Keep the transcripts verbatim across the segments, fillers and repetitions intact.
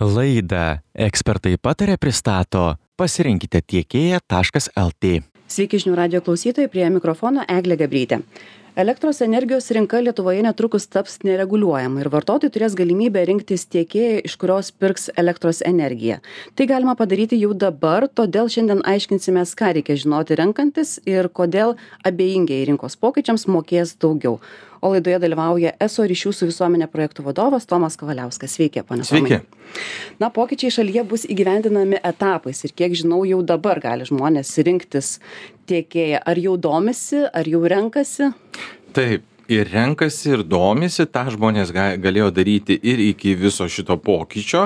Laidą ekspertai patarė pristato pasirinkite tiekėją taškas lt. Sveiki žinių radijo klausytojai, prie mikrofono Eglė Gabrytė. Elektros energijos rinka Lietuvoje netrukus taps nereguliuojama ir vartotojai turės galimybę rinktis tiekėją, iš kurios pirks elektros energiją. Tai galima padaryti jau dabar, todėl šiandien aiškinsimės, ką reikia žinoti renkantis ir kodėl abejingiai rinkos pokyčiams mokės daugiau. O laidoje dalyvauja eso ryšių su visuomenė projektų vadovas Tomas Kavaliauskas. Sveiki, pane Tomai. Sveiki. Na, pokyčiai šalyje bus įgyvendinami etapais ir kiek žinau, jau dabar gali žmonės rinktis tiekėją. Ar jau domisi, ar jau renkasi? Taip, ir renkasi, ir domisi, tą žmonės ga- galėjo daryti ir iki viso šito pokyčio.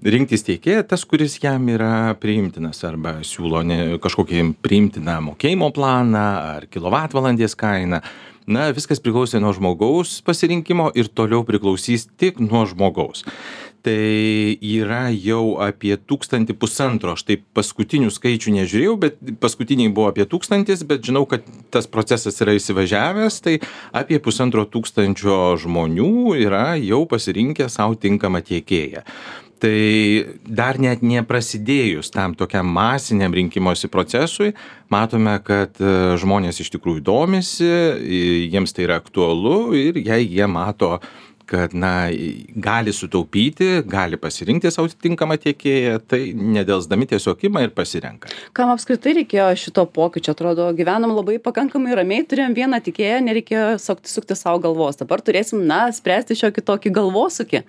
Rinktis tiekėją, tas, kuris jam yra priimtinas arba siūlo ne, kažkokį priimtiną mokėjimo planą ar kilovatvalandės kainą. Na, viskas priklausė nuo žmogaus pasirinkimo ir toliau priklausys tik nuo žmogaus. Tai yra jau apie tūkstantį pusantro, aš taip paskutinių skaičių nežiūrėjau, bet paskutiniai buvo apie tūkstantis, bet žinau, kad tas procesas yra įsivažiavęs, tai apie pusantro tūkstančio žmonių yra jau pasirinkę savo tinkamą tiekėją. Tai dar net neprasidėjus tam tokiam masiniam rinkimosi procesui, matome, kad e, žmonės iš tikrųjų domisi, e, jiems tai yra aktualu ir jei jie mato, kad na, gali sutaupyti, gali pasirinkti savo tinkamą tiekėją, tai nedelsdami tiesiog ima ir pasirenka. Kam apskritai reikėjo šito pokyčio? Atrodo, gyvenam labai pakankamai ramiai, turėjom vieną tiekėją, nereikėjo sukti, sukti savo galvos. Dabar turėsim, na, spręsti šiokį tokį galvosūkį.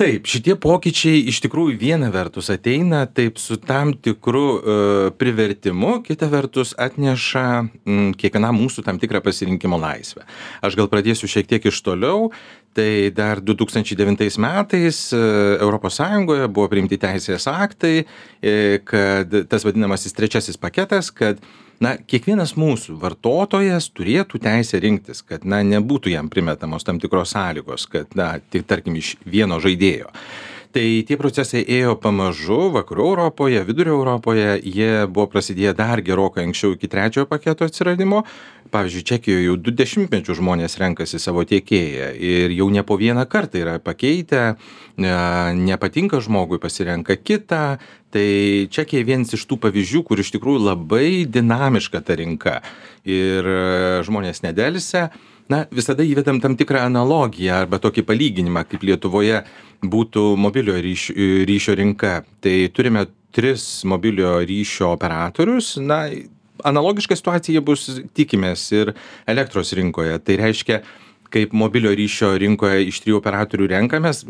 Taip, šitie pokyčiai iš tikrųjų viena vertus ateina taip su tam tikru e, privertimu, kita vertus atneša m, kiekvienam mūsų tam tikrą pasirinkimo laisvę. Aš gal pradėsiu šiek tiek iš toliau. Tai dar du tūkstančiai devintais metais e, Europos Sąjungoje buvo priimti teisės aktai, e, kad tas vadinamasis trečiasis paketas, kad na, kiekvienas mūsų vartotojas turėtų teisę rinktis, kad na, nebūtų jam primetamos tam tikros sąlygos, kad na, tik tarkim iš vieno žaidėjo. Tai tie procesai ėjo pamažu vakarų Europoje, vidurio Europoje, jie buvo prasidėję dar gerokai anksčiau iki trečiojo paketo atsiradimo. Pavyzdžiui, Čekijoje jau du dešimtmečius žmonės renkasi savo tiekėją ir jau ne po vieną kartą yra pakeitę, nepatinka žmogui, pasirenka kitą. Tai Čekija vienas iš tų pavyzdžių, kur iš tikrųjų labai dinamiška ta rinka ir žmonės nedelsia. Na, visada įvedam tam tikrą analogiją arba tokį palyginimą, kaip Lietuvoje būtų mobiliojo ryšio, ryšio rinka. Tai turime tris mobiliojo ryšio operatorius. Na, analogiška situacija bus, tikimės, ir elektros rinkoje. Tai reiškia, kaip mobiliojo ryšio rinkoje iš trijų operatorių renkamės,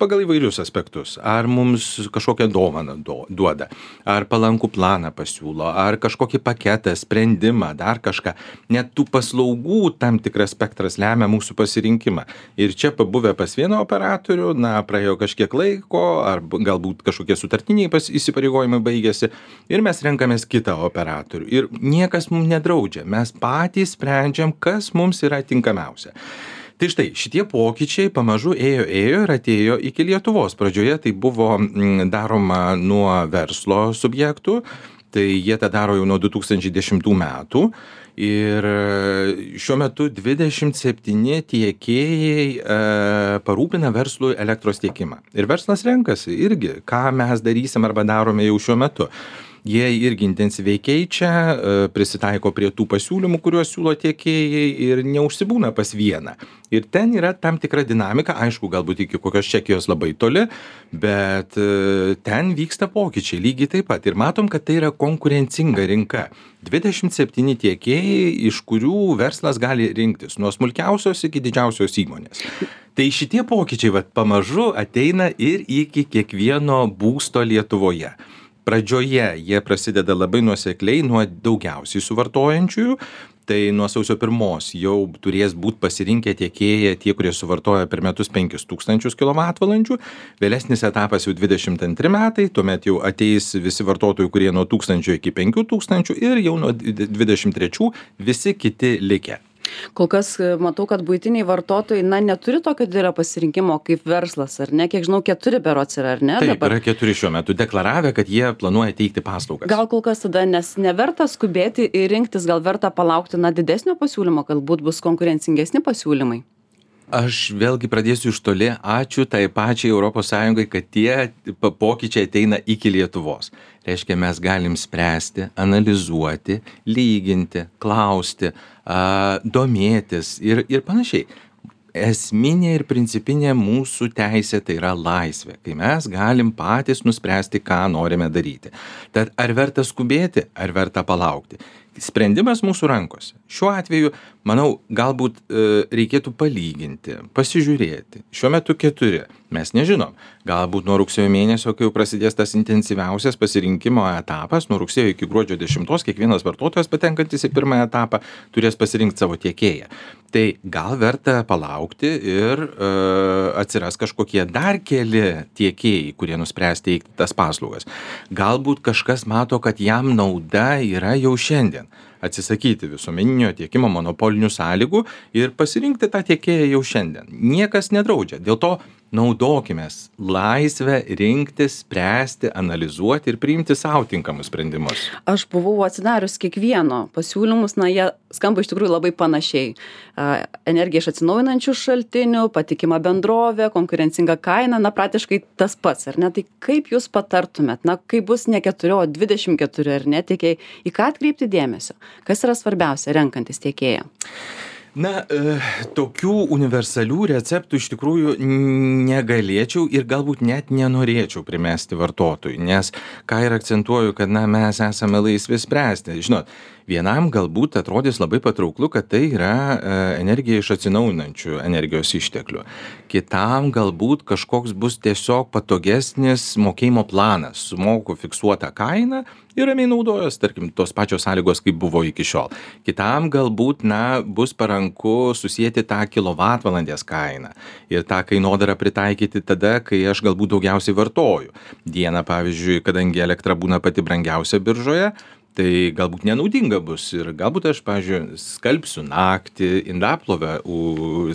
pagal įvairius aspektus. Ar mums kažkokią dovaną duoda, ar palankų planą pasiūlo, ar kažkokį paketą, sprendimą, dar kažką. Net tų paslaugų tam tikras spektras lemia mūsų pasirinkimą. Ir čia pabuvę pas vieną operatorių, na, praėjo kažkiek laiko, ar galbūt kažkokie sutartiniai įsipareigojimai baigėsi, ir mes renkamės kitą operatorių. Ir niekas mums nedraudžia. Mes patys sprendžiam, kas mums yra tinkamiausia. Tai štai, šitie pokyčiai pamažu ėjo, ėjo ir atėjo iki Lietuvos. Pradžioje tai buvo daroma nuo verslo subjektų, tai jie tą daro jau nuo du tūkstančiai dešimtų metų. Ir šiuo metu dvidešimt septyni tiekėjai e, parūpina verslui elektros tiekimą. Ir verslas renkasi irgi, ką mes darysim arba darome jau šiuo metu. Jie irgi intensyviai keičia, prisitaiko prie tų pasiūlymų, kuriuos siūlo tiekėjai ir neužsibūna pas vieną. Ir ten yra tam tikra dinamika, aišku, galbūt iki kokios Čekijos labai toli, bet ten vyksta pokyčiai lygiai taip pat. Ir matom, kad tai yra konkurencinga rinka. dvidešimt septyni tiekėjai, iš kurių verslas gali rinktis nuo smulkiausios iki didžiausios įmonės. Tai šitie pokyčiai vat, pamažu ateina ir iki kiekvieno būsto Lietuvoje. Pradžioje jie prasideda labai nuosekliai nuo daugiausiai suvartojančiųjų. Tai nuo sausio pirmos jau turės būti pasirinkę tiekėją tie, kurie suvartoja per metus penkis tūkstančius kilovatvalandžių. Vėlesnis etapas jau dvidešimt antri metai, tuomet jau ateis visi vartotojai, kurie nuo tūkstančio iki penkių tūkstančių ir jau nuo dvidešimt trečių visi kiti likę. Kol kas matau, kad buitiniai vartotojai, na, neturi tokio didelio pasirinkimo kaip verslas, ar ne? Kiek žinau, keturi berods yra, ar ne? Taip, dabar? yra keturi šiuo metu deklaravę, kad jie planuoja teikti paslaugas. Gal kol kas tada, nes neverta skubėti ir rinktis, gal verta palaukti, na, didesnio pasiūlymo, galbūt bus konkurencingesni pasiūlymai? Aš vėlgi pradėsiu iš toli. Ačiū tai pačiai Europos Sąjungai, kad tie pa- pokyčiai ateina iki Lietuvos. Reiškia, mes galim spręsti, analizuoti, lyginti, klausti, a, domėtis ir, ir panašiai. Esminė ir principinė mūsų teisė tai yra laisvė, kai mes galim patys nuspręsti, ką norime daryti. Tad ar verta skubėti, ar verta palaukti? Sprendimas mūsų rankose. Šiuo atveju, manau, galbūt e, reikėtų palyginti, pasižiūrėti. Šiuo metu keturi. Mes nežinom. Galbūt nuo rugsėjo mėnesio, kai jau prasidės tas intensyviausias pasirinkimo etapas, nuo rugsėjo iki gruodžio dešimtos, kiekvienas vartotojas patenkantis į pirmąją etapą turės pasirinkti savo tiekėją. Tai gal verta palaukti ir e, atsiras kažkokie dar keli tiekėjai, kurie nuspręs teikti tas paslaugas. Galbūt kažkas mato, kad jam nauda yra jau šiandien atsisakyti visuomeninio tiekimo monopolinių sąlygų ir pasirinkti tą tiekėją jau šiandien. Niekas nedraudžia. Dėl to naudokimės laisvę rinktis, spręsti, analizuoti ir priimti savo tinkamus sprendimus. Aš buvau atsidarius kiekvieno pasiūlymus, na, jie skamba iš tikrųjų labai panašiai. A, energija iš atsinaujinančių šaltinių, patikima bendrovė, konkurencinga kaina, na, praktiškai tas pats, ar ne? Tai kaip jūs patartumėt, na, kai bus ne keturi, o dvidešimt keturi, ar ne, tiekėjai, į ką atkreipti dėmesio? Kas yra svarbiausia renkantis tiekėją? Na, e, tokių universalių receptų iš tikrųjų negalėčiau ir galbūt net nenorėčiau primesti vartotojui, nes ką ir akcentuoju, kad na, mes esame laisvi spręsti. Žinot, vienam galbūt atrodys labai patrauklu, kad tai yra e, energija iš atsinaujinančių energijos išteklių. Kitam galbūt kažkoks bus tiesiog patogesnis mokėjimo planas, sumoku fiksuotą kainą ir ramiai naudojos, tarkim, tos pačios sąlygos, kaip buvo iki šiol. Kitam galbūt, na, bus paranku susijęti tą kilovatvalandės kainą ir tą kainodarą pritaikyti tada, kai aš galbūt daugiausiai vartoju. Dieną, pavyzdžiui, kadangi elektra būna pati brangiausia biržoje, tai galbūt nenaudinga bus ir galbūt aš, pavyzdžiui, skalbsiu naktį, indaplovę,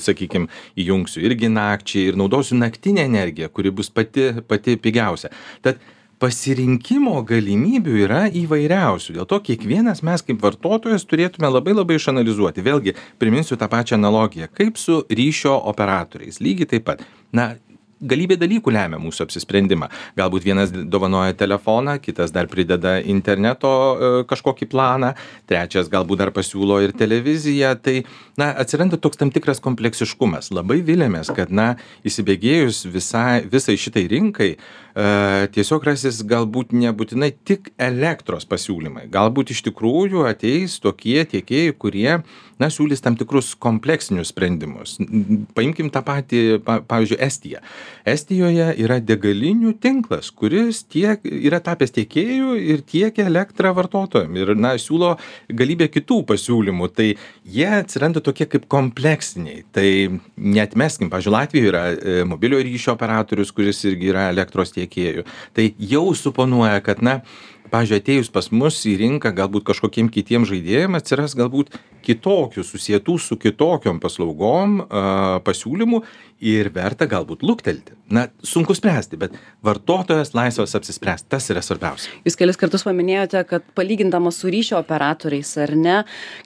sakykime, įjungsiu irgi nakčiai ir naudosiu naktinę energiją, kuri bus pati, pati pigiausia. Tad pasirinkimo galimybių yra įvairiausių. Dėl to kiekvienas mes kaip vartotojas turėtume labai labai išanalizuoti. Vėlgi, priminsiu tą pačią analogiją, kaip su ryšio operatoriais. Lygiai taip pat. Na, galybė dalykų lemia mūsų apsisprendimą. Galbūt vienas dovanoja telefoną, kitas dar prideda interneto e, kažkokį planą, trečias galbūt dar pasiūlo ir televiziją. Tai, na, atsiranda toks tam tikras kompleksiškumas. Labai vilėmės, kad, na, įsibėgėjus visai, visai šitai rinkai, e, tiesiog rasis galbūt nebūtinai tik elektros pasiūlymai. Galbūt iš tikrųjų ateis tokie tiekėjai, kurie, na, siūlys tam tikrus kompleksinius sprendimus. Paimkim tą patį, pa, pavyzdžiui, Estiją. Estijoje yra degalinių tinklas, kuris tiek yra tapęs tiekėjų ir tiekia elektrą vartotojams. Ir, na, siūlo galybę kitų pasiūlymų. Tai jie atsiranda tokie kaip kompleksiniai. Tai neatmeskim, pavyzdžiui, Latvijoje yra e, mobilio ryšio operatorius, kuris irgi yra elektros tiekėjų. Tai jau suponuoja, kad, na, pavyzdžiui, atėjus pas mus į rinką galbūt kažkokiem kitiem žaidėjim atsiras galbūt kitokių, susietų su kitokiom paslaugom a, pasiūlymų ir verta galbūt luktelti. Na, sunku spręsti, bet vartotojas laisvas apsispręsti, tas yra svarbiausia. Jūs kelis kartus paminėjote, kad palygindamas su ryšio operatoriais, ar ne,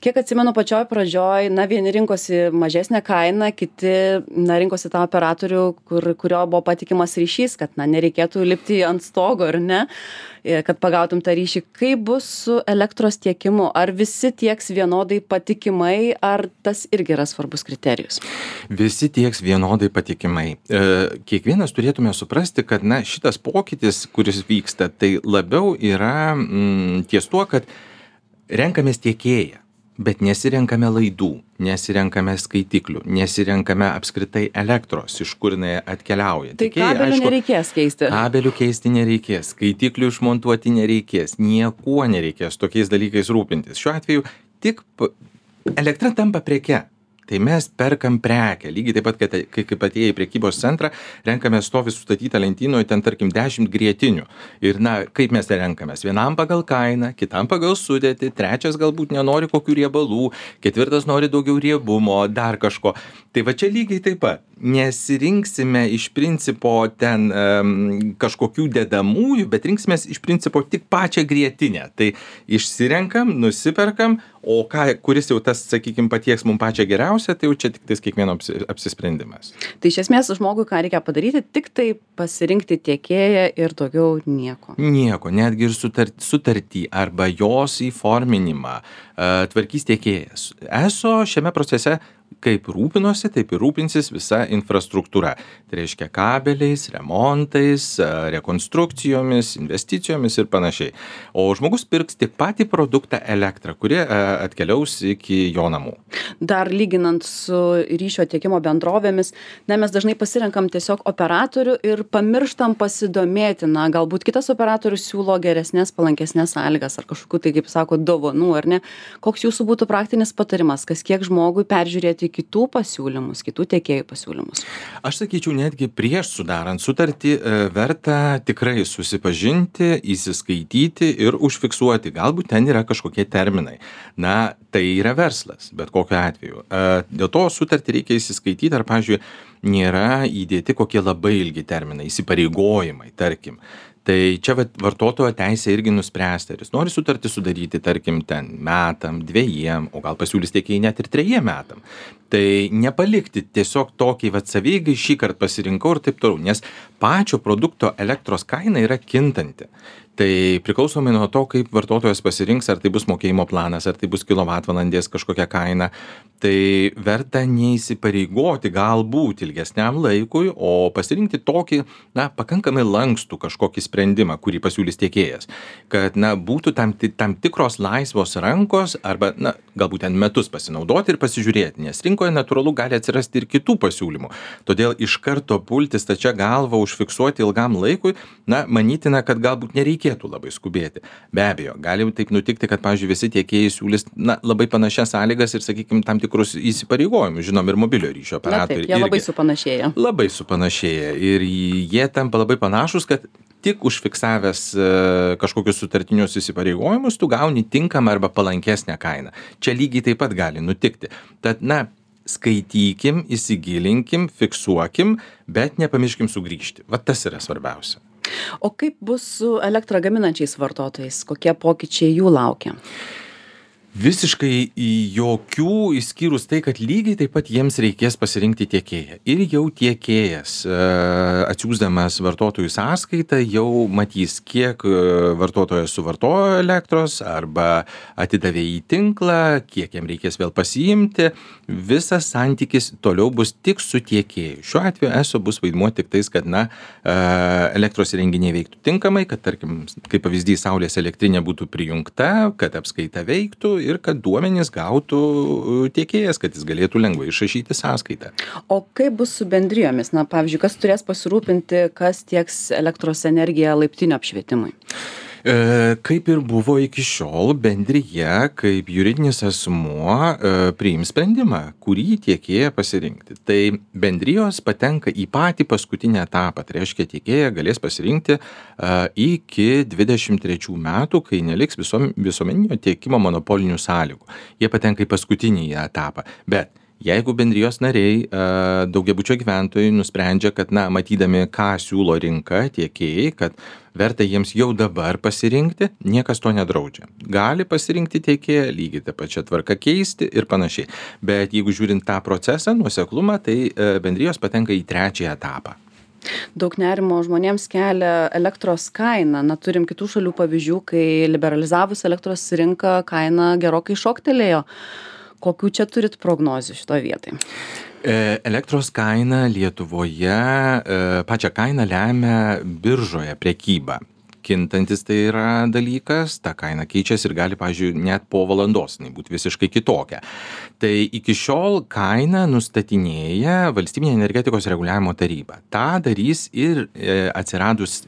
kiek atsimenu pačioj pradžioj, na, vieni rinkosi mažesnę kainą, kiti, na, rinkosi tą operatorių, kur, kurio buvo patikimas ryšys, kad, na, nereikėtų lipti ant stogo, ar ne, kad pagautum tą ryšį. Kaip bus su elektros tiekimu? Ar visi tieks vienodai patikimai, ar tas irgi yra svarbus kriterijus? Visi tieks vienodai patikimai. E, kiekvienas turėtume suprasti, kad, na, šitas pokytis, kuris vyksta, tai labiau yra mm, ties tuo, kad renkamės tiekėją, bet nesirenkame laidų, nesirenkame skaitiklių, nesirenkame apskritai elektros, iš kur jinai atkeliauja. Tai Tiekėjai, kabelių aišku, nereikės keisti. Kabelių keisti nereikės, skaitiklių išmontuoti nereikės, niekuo nereikės tokiais dalykais rūpintis. Šiuo atveju tik elektra tampa preke. Tai mes perkam prekę. Lygiai taip pat, kad, kai, kaip atėję į prekybos centrą, renkame stovi sustatytą lentynoje, ten tarkim dešimt grietinių. Ir, na, kaip mes tai renkamės? Vienam pagal kainą, kitam pagal sudėtį, trečias galbūt nenori kokių riebalų, ketvirtas nori daugiau riebumo, dar kažko. Tai va čia lygiai taip pat. Nesirinksime iš principo ten um, kažkokių dedamųjų, bet rinksimės iš principo tik pačią grietinę. Tai išsirenkam, nusiperkam, o ką, kuris jau tas, sakykime, patieks mums pačią geriausią, tai jau čia tik tais kiekvieno apsi, apsisprendimas. Tai iš esmės žmogui ką reikia padaryti, tik tai pasirinkti tiekėją ir daugiau nieko. Nieko, netgi ir sutart, sutartį arba jos įforminimą uh, tvarkys tiekėjas. Eso šiame procese kaip rūpinosi, taip ir rūpinsis visa infrastruktūra. Tai reiškia kabeliais, remontais, rekonstrukcijomis, investicijomis ir panašiai. O žmogus pirks tik patį produktą elektrą, kuri atkeliaus iki jo namų. Dar lyginant su ryšio tiekimo bendrovėmis, ne, mes dažnai pasirenkam tiesiog operatorių ir pamirštam pasidomėti, na, galbūt kitas operatorius siūlo geresnės, palankesnės sąlygas ar kažkokių, tai kaip sako, dovanų, ar ne? Koks jūsų būtų praktinis patarimas, kas kiek žmogui peržiūrėti kitų pasiūlymus, kitų tiekėjų pasiūlymus? Aš sakyčiau, netgi prieš sudarant sutartį verta tikrai susipažinti, įsiskaityti ir užfiksuoti. Galbūt ten yra kažkokie terminai. Na, tai yra verslas, bet kokiu atveju. Dėl to sutartį reikia įsiskaityti, ar, pavyzdžiui, nėra įdėti kokie labai ilgi terminai, įsipareigojimai, tarkim. Tai čia vartotojo teisė irgi nuspręsti, ar jis nori sutartį sudaryti, tarkim, ten metam, dviejiem, o gal pasiūlys tiekėjai net ir trejiem metam. Tai nepalikti tiesiog tokiai vat savygai šį kartą pasirinkau ir taip toliau, nes pačio produkto elektros kaina yra kintanti. Tai priklausomai nuo to, kaip vartotojas pasirinks, ar tai bus mokėjimo planas, ar tai bus kilovatvalandės kažkokia kaina, tai verta neįsipareigoti galbūt ilgesniam laikui, o pasirinkti tokį, na, pakankamai lankstų kažkokį sprendimą, kurį pasiūlys tiekėjas. Kad, na, būtų tam, tam tikros laisvos rankos arba, na, galbūt ten metus pasinaudoti ir pasižiūrėti, nes rinkoje natūralu gali atsirasti ir kitų pasiūlymų. Todėl iš karto pulti stačia galva užfiksuoti ilgam laikui, na, manytina, kad galbūt nereikėtų labai skubėti. Be abejo, gali taip nutikti, kad, pavyzdžiui, visi tiekėjai siūlys, na, labai panašias sąlygas ir, sakykime, tam tikrus įsipareigojimus, žinom, ir mobilio ryšio operatoriai. Na, taip, jie labai supanašėja. Labai supanašėja ir jie tampa labai panašus, kad tik užfiksavęs kažkokius sutartinius įsipareigojimus, tu gauni tinkamą arba palankesnę kainą. Čia lygiai taip pat gali nutikti. Tad, na, skaitykim, įsigilinkim, fiksuokim, bet nepamirškim sugrįžti. Va tas yra svarbiausia. O kaip bus su elektrą gaminančiais vartotojais? Kokie pokyčiai jų laukia? Visiškai jokių, išskyrus tai, kad lygiai taip pat jiems reikės pasirinkti tiekėją. Ir jau tiekėjas, atsiųsdamas vartotojų sąskaitą, jau matys, kiek vartotojas suvartojo elektros arba atidavė į tinklą, kiek jam reikės vėl pasiimti. Visas santykis toliau bus tik su tiekėju. Šiuo atveju eso bus vaidmuo tik tais, kad, na, elektros įrenginiai veiktų tinkamai, kad, tarkim, kaip pavyzdys, saulės elektrinė būtų prijungta, kad apskaita veiktų ir kad duomenys gautų tiekėjas, kad jis galėtų lengvai išrašyti sąskaitą. O kaip bus su bendrijomis? Na, pavyzdžiui, kas turės pasirūpinti, kas tieks elektros energiją laiptinio apšvietimui? E, kaip ir buvo iki šiol, bendrija kaip juridinis asmuo e, priims sprendimą, kurį tiekėją pasirinkti. Tai bendrijos patenka į patį paskutinį etapą. Tai reiškia, tiekėją galės pasirinkti e, iki dvidešimt trečių metų, kai neliks visom, visuomeninio tiekimo monopolinių sąlygų. Jie patenka į paskutinį etapą. Bet jeigu bendrijos nariai, daugiabučio gyventojai nusprendžia, kad, na, matydami, ką siūlo rinka, tiekėjai, kad verta jiems jau dabar pasirinkti, niekas to nedraudžia. Gali pasirinkti tiekėją, lygiai tą pačią tvarką keisti ir panašiai. Bet jeigu žiūrint tą procesą, nuoseklumą, tai bendrijos patenka į trečiąjį etapą. Daug nerimo žmonėms kelia elektros kaina. Na, turim kitų šalių pavyzdžių, kai liberalizavus elektros rinką kaina gerokai šoktelėjo. Kokių čia turit prognozių šitoje vietoje? Elektros kaina Lietuvoje, pačią kainą lemia biržoje prekyba. Kintantis tai yra dalykas, ta kaina keičiasi ir gali, pavyzdžiui, net po valandos būti visiškai kitokia. Tai iki šiol kainą nustatinėja Valstybinė energetikos reguliavimo taryba. Ta darys ir atsiradus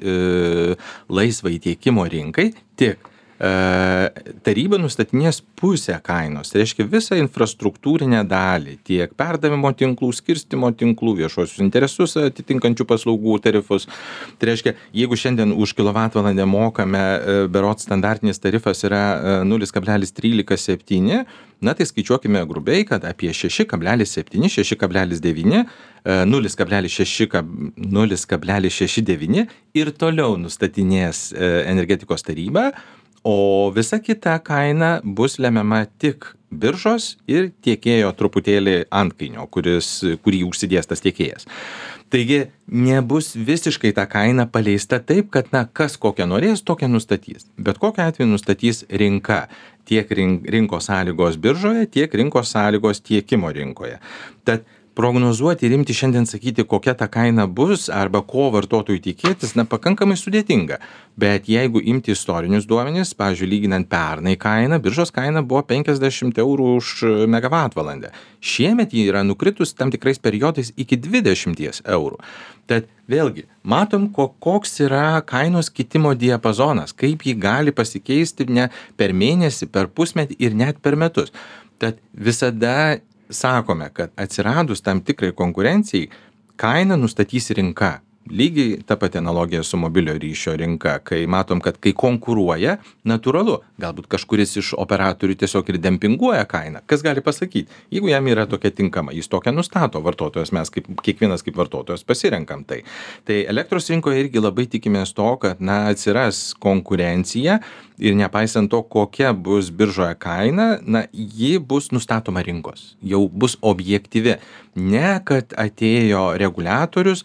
laisvai tiekimo rinkai, tik taryba nustatinės pusę kainos, tai reiškia visą infrastruktūrinę dalį, tiek perdavimo tinklų, skirstymo tinklų, viešuosius interesus atitinkančių paslaugų tarifus. Tai reiškia, jeigu šiandien už kilovatvalandę mokame, berods standartinis tarifas yra nulis kablelis trylika septyni, na tai skaičiuokime grubiai, kad apie šeši kablelis septyni, šeši kablelis devyni, nulis kablelis šeši devyni ir toliau nustatinės energetikos taryba, o visa kita kaina bus lemiama tik biržos ir tiekėjo truputėlį antkainio, kuris, kurį užsidės tas tiekėjas. Taigi nebus visiškai ta kaina paleista taip, kad na, kas kokią norės, tokią nustatys. Bet kokiu atveju nustatys rinka. Tiek rinkos sąlygos biržoje, tiek rinkos sąlygos tiekimo rinkoje. Tad prognozuoti ir imti šiandien sakyti, kokia ta kaina bus arba ko vartotojui tikėtis, na, pakankamai sudėtinga. Bet jeigu imti istorinius duomenis, pavyzdžiui, lyginant pernai kainą, biržos kaina buvo penkiasdešimt eurų už megavatvalandę. Šiemet ji yra nukritus tam tikrais periodais iki dvidešimt eurų. Tad vėlgi, matom, koks yra kainos kitimo diapazonas, kaip ji gali pasikeisti ne per mėnesį, per pusmetį ir net per metus. Tad visada sakome, kad atsiradus tam tikrai konkurencijai, kainą nustatys rinka. Lygiai ta pati analogija su mobilio ryšio rinka, kai matom, kad kai konkuruoja, natūralu, galbūt kažkuris iš operatorių tiesiog ir dempinguoja kainą. Kas gali pasakyti? Jeigu jam yra tokia tinkama, jis tokią nustato vartotojas, mes kaip, kiekvienas kaip vartotojas pasirenkam tai. Tai elektros rinkoje irgi labai tikimės to, kad na, atsiras konkurencija ir nepaisant to, kokia bus biržoje kaina, na, ji bus nustatoma rinkos, jau bus objektyvi. Ne, kad atėjo reguliatorius,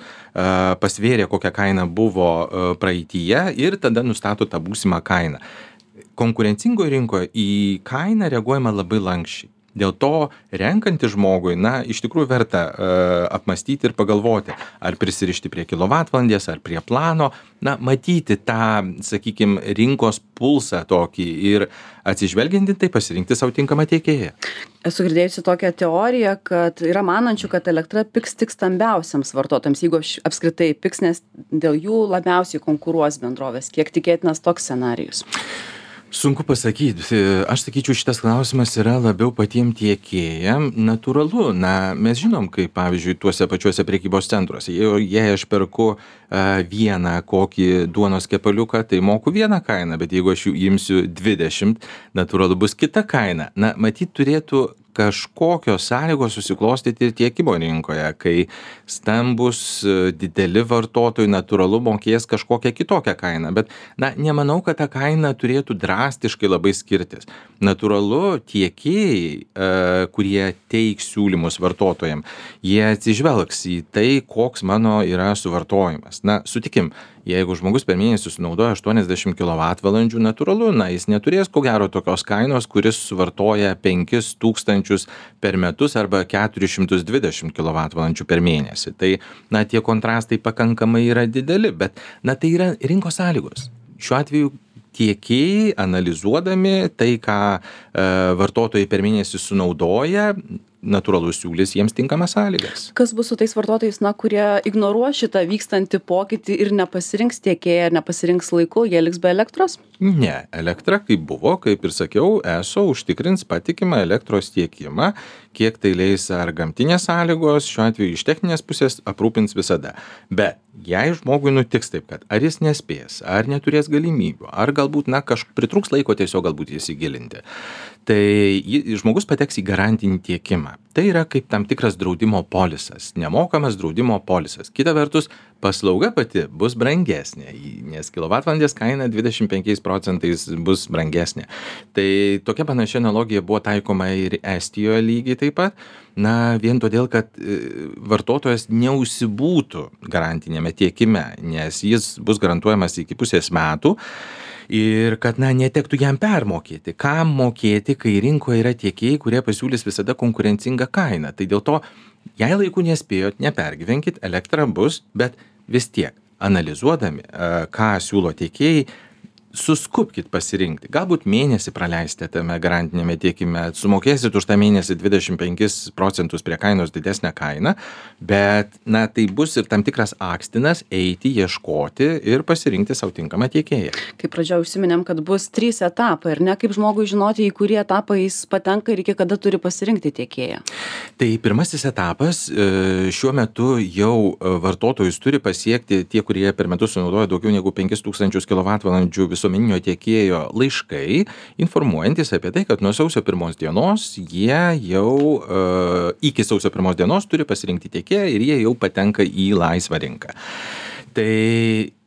pasvėrė, kokia kaina buvo praeityje ir tada nustato tą būsimą kainą. Konkurencingoje rinkoje į kainą reaguojama labai lankščiai. Dėl to renkantis žmogui, na, iš tikrųjų verta uh, apmastyti ir pagalvoti, ar prisirišti prie kilovatvalandės, ar prie plano, na, matyti tą, sakykime, rinkos pulsą tokį ir atsižvelgiant tai pasirinkti savo tinkamą tiekėją. Esu girdėjusi tokią teoriją, kad yra manančių, kad elektra pigs tik stambiausiams vartotojams, jeigu apskritai pigs, nes dėl jų labiausiai konkuruos bendrovės. Kiek tikėtinas toks scenarijus? Sunku pasakyti. Aš sakyčiau, šitas klausimas yra labiau patiem tiekėjam. Natūralu, na, mes žinom, kaip pavyzdžiui, tuose pačiuose prekybos centruose. Jei aš perku uh, vieną kokį duonos kepaliuką, tai moku vieną kainą, bet jeigu aš jų imsiu dvidešimt, natūralu bus kita kaina. Na, matyt, turėtų kažkokios sąlygos susiklostyti ir tiekimo rinkoje, kai stambus dideli vartotojai natūralu mokės kažkokią kitokią kainą. Bet, na, nemanau, kad ta kaina turėtų drastiškai labai skirtis. Natūralu, tiekėjai, kurie teiks siūlymus vartotojams, jie atsižvelgs į tai, koks mano yra suvartojimas. Na, sutikim, jeigu žmogus per mėnesį sunaudoja aštuoniasdešimt kilovatvalandžių, natūralu, na, jis neturės ko gero tokios kainos, kuris suvartoja penkis tūkstančius per metus arba keturis šimtus dvidešimt kilovatvalandžių per mėnesį. Tai, na, tie kontrastai pakankamai yra dideli, bet, na, tai yra rinkos sąlygos. Šiuo atveju tiekėjai, analizuodami tai, ką e, vartotojai per mėnesį sunaudoja, natūralu siūlys jiems tinkamas sąlygas. Kas bus su tais vartotojais, na, kurie ignoruos šitą vykstantį pokytį ir nepasirinks tiekėją, nepasirinks laiku, jie liks be elektros? Ne, elektra kaip buvo, kaip ir sakiau, eso užtikrins patikimą elektros tiekimą, kiek tai leis ar gamtinės sąlygos, šiuo atveju iš techninės pusės aprūpins visada. Bet jei žmogui nutiks taip, kad ar jis nespės, ar neturės galimybių, ar galbūt, na, kažkaip pritrūks laiko tiesiog galbūt įsigilinti, tai žmogus pateks į garantinį tiekimą. Tai yra kaip tam tikras draudimo polisas, nemokamas draudimo polisas. Kita vertus, paslauga pati bus brangesnė, nes kilovatvalandės kaina dvidešimt penkiais procentais bus brangesnė. Tai tokia panašia analogija buvo taikoma ir Estijoje lygiai taip pat. Na, vien todėl, kad vartotojas neužsibūtų garantinėme tiekime, nes jis bus garantuojamas iki pusės metų. Ir kad, na, netektų jam permokėti. Kam mokėti, kai rinkoje yra tiekėjai, kurie pasiūlys visada konkurencingą kainą. Tai dėl to, jei laiku nespėjot, nepergyvenkit, elektra bus, bet vis tiek, analizuodami, ką siūlo tiekėjai, suskubkit pasirinkti. Galbūt mėnesį praleisite tame garantinėme tiekime, sumokėsit už tą mėnesį dvidešimt penkis procentus prie kainos didesnę kainą, bet, na, tai bus ir tam tikras akstinas eiti, ieškoti ir pasirinkti savo tinkamą tiekėją. Kaip pradžioje užsiminėm, kad bus trys etapai, ir ne, kaip žmogui žinoti, į kurį etapą jis patenka ir iki kada turi pasirinkti tiekėją? Tai pirmasis etapas, šiuo metu jau vartotojus turi pasiekti tie, kurie per metus sunaudoja daugiau negu penkis tūkstančius kilovatvalandžių visuomeninio tiekėjo laiškai, informuojantis apie tai, kad nuo sausio pirmos dienos jie jau uh, iki sausio pirmos dienos turi pasirinkti tiekėją ir jie jau patenka į laisvą rinką. Tai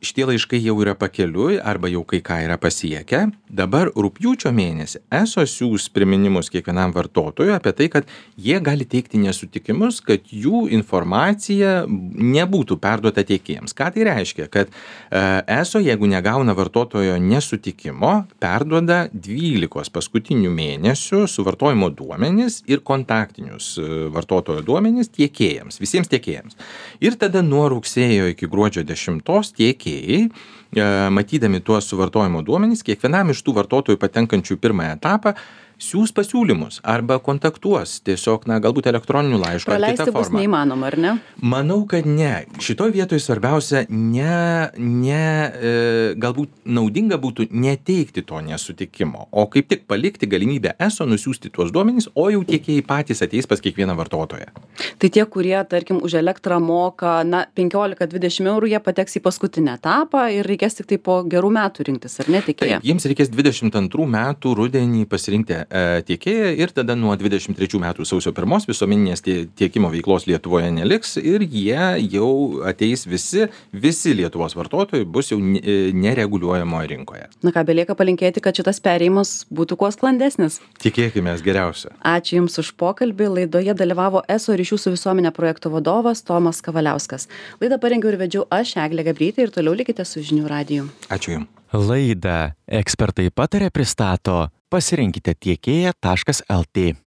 šitie laiškai jau yra pakeliui arba jau kai ką yra pasiekę. Dabar rugpjūčio mėnesį eso siūs priminimus kiekvienam vartotojui apie tai, kad jie gali teikti nesutikimus, kad jų informacija nebūtų perduota tiekėjams. Ką tai reiškia? Kad eso, jeigu negauna vartotojo nesutikimo, perduoda dvylikos paskutinių mėnesių suvartojimo duomenis ir kontaktinius vartotojo duomenis tiekėjams, visiems tiekėjams. Ir tada nuo rugsėjo iki gruodžio dešimtos tiekėjai, matydami tuos suvartojimo duomenys, kiekvienam iš tų vartotojų patenkančių į pirmąją etapą siūs pasiūlymus arba kontaktuos tiesiog, na, galbūt elektroniniu laišku ar kitą formą. Praleisti bus neįmanoma, ar ne? Manau, kad ne. Šitoj vietoj svarbiausia ne, ne, e, galbūt naudinga būtų neteikti to nesutikimo, o kaip tik palikti galimybę eso nusiųsti tuos duomenys, o jau tiekėjai patys ateis pas kiekvieną vartotoją. Tai tie, kurie, tarkim, už elektrą moka, na, penkiolika dvidešimt eurų, jie pateks į paskutinį etapą ir reikės tik tai po gerų metų rinktis, ar ne, tiekėją? Taip, jiems reikės dvidešimt antrų metų rudenį pasirinkti tiekėją ir tada nuo dvidešimt trečių metų sausio pirmos visuomeninės tiekimo veiklos Lietuvoje neliks ir jie jau ateis visi, visi Lietuvos vartotojai bus jau nereguliuojamoje rinkoje. Na ką, belieka palinkėti, kad šitas perėjimas būtų kuo sklandesnis. Tikėkime geriausia. Ačiū Jums už pokalbį. Laidoje dalyvavo eso ryšių su visuomenė projekto vadovas Tomas Kavaliauskas. Laidą parengiau ir vedžiau aš, Eglė Gabrytė, ir toliau likite su Žinių radiju. Ačiū Jums. Laidą Ekspertai pataria pristato pasirinkite tiekėją taškas lt.